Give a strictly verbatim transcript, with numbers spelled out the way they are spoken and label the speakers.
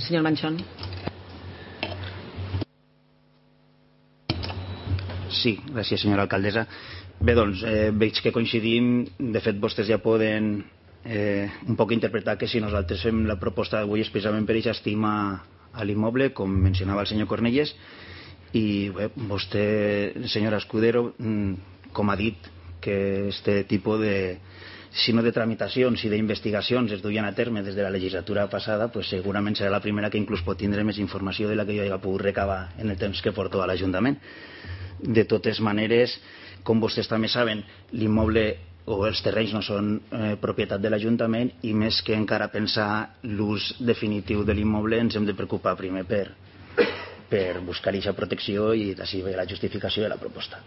Speaker 1: Senyor Manchón.
Speaker 2: Sí, gràcies, senyora alcaldessa. Bé, doncs, eh, veig que coincidim. De fet, vostès ja poden eh, un poc interpretar que si nosaltres fem la proposta d'avui és precisament per aquesta estima a l'immoble, com mencionava el senyor Cornellès, i bé, vostè, senyora Escudero, com ha dit que este tipus de, si no de tramitacions i d'investigacions es duien a terme des de la legislatura passada, pues segurament serà la primera que inclús pot tindre més informació de la que jo hagi pogut recabar en el temps que porto a l'Ajuntament. De totes maneres, com vostès també saben, l'immoble o els terrenys no són eh, propietat de l'Ajuntament, i més que encara pensar l'ús definitiu de l'immoble ens hem de preocupar primer per, per buscar aquesta protecció, i d'ací ve la justificació de la proposta.